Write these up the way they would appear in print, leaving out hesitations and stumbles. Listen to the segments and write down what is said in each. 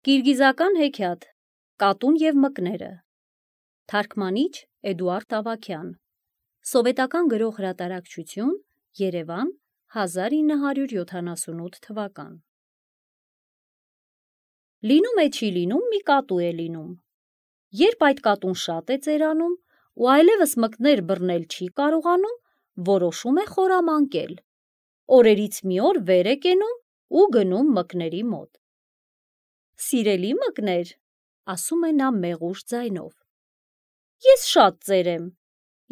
Կիրգիզական հեքիաթ Կատուն և մկները Թարգմանիչ Էդուարդ Ավագյան Սովետական գրող հրատարակչություն Երևան 1978 թվական Լինում է չի լինում մի կատու է լինում Երբ այդ կատուն շատ է ծերանում ու այլևս մկներ բռնել չի կարողանում որոշում է խորամանկել Օրերից մի օր վեր է կենում ու գնում մկների մոտ Սիրելի մկներ, ասում է նա մեղուշ ձայնով, ես շատ ծեր եմ,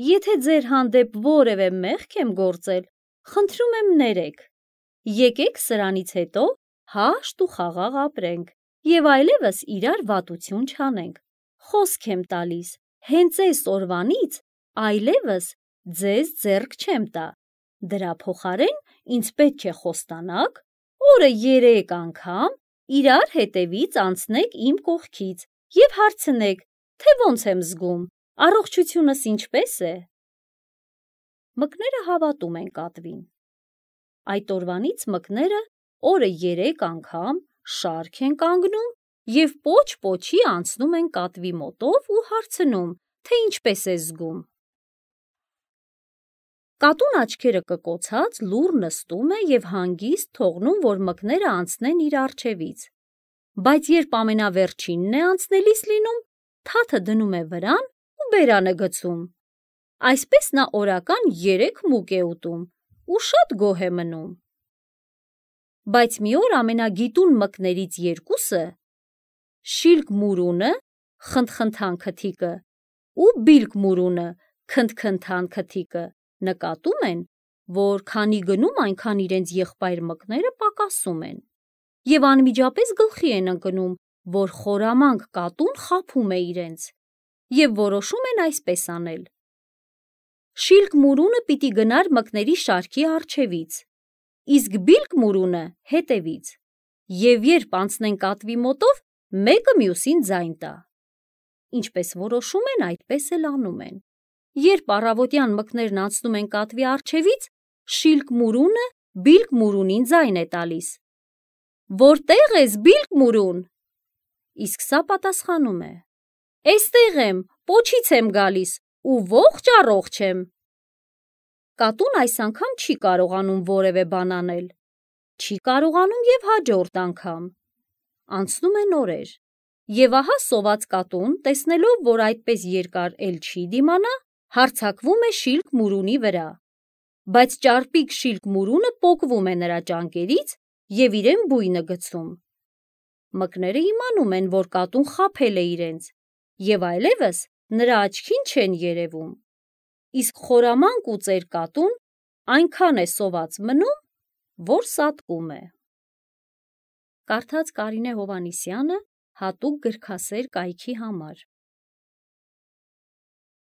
եթե ձեր հանդեպ որևէ մեղք եմ գործել, խնդրում եմ ներեք, եկեք սրանից հետո հաշտ ու խաղաղ ապրենք և այլևս իրար վատություն չանենք, խոսք եմ տալիս, հենց այս օրվանից այլևս ձեզ ձեռք չեմ տա, դրա փոխարեն ինձ պետք է խոստանաք, օրը 3 անգամ իրար հետևից անցնեք իմ կողքից և հարցնեք, թե ոնց եմ զգում, առողջությունս ինչպես է։ Մկները հավատում են կատվին։ Այդ օրվանից մկները օրը 3 անգամ շարք են կանգնում և պոչ-պոչի անցնում են կատվի մոտով ու հարցնում, թե ինչպես է զգում։ Կատուն աչքերը կկոցած լուռ նստում է և հանգիստ թողնում, որ մկները անցնեն իր առջևից, բայց երբ ամենավերջինն է անցնելիս լինում, թաթը դնում է վրան ու բերան է գցում, այսպես նա օրական 3 մուկ է ուտում ու շատ գոհ է մնում։ Բայց մի օր ամենագիտուն մկներից երկուսը՝ Շիլկ Մուրունը, խնդխնդան քթիկը, ու Բիլկ Մուրունը, քնթքնթան քթիկը, նկատում են, որ քանի գնում այնքան իրենց եղբայր մկները պակասում են, և անմիջապես գլխի են ընկնում, որ խորամանկ կատուն խաբում է իրենց, և որոշում են այսպես անել. Շիլկ Մուրունը պիտի գնար մկների շարքի առջևից, իսկ Բիլկ Մուրունը հետևից, և երբ անցնեն կատվի մոտով, մեկը մյուսին ձայն տա։ Ինչպես որոշում են, այդպես էլ անում են։ Երբ առավոտյան մկներն անցնում են կատվի առջևից, Շիլկ Մուրունը Բիլկ Մուրունին ձայն է տալիս. Որտե՞ղ ես, Բիլկ Մուրուն։ Իսկ սա պատասխանում է. Էստեղ եմ, պոչից եմ գալիս ու ողջ եմ։ Կատուն այս անգամ չի կարողանում որևէ բան անել։ Չի կարողանում և հաջորդ անգամ։ Անցնում են օրեր, և ահա սոված կատուն, տեսնելով, որ այդպես երկար էլ չի դիմանա, հարձակվում է Շիլկ Մուրունի վրա, բայց ճարպիկ Շիլկ Մուրունը պոկվում է նրա ճանկերից և իրեն բույն է գցում։ Մկները իմանում են, որ կատուն խաբել է իրենց և այլևս նրա աչքին չեն երևում, իսկ խորամանկ ու ծեր կատուն այնքան է սոված մնում, որ սատկում է։ Կարդաց Կարինե Հովհաննիսյանը հատուկ գրքասեր կայքի համար։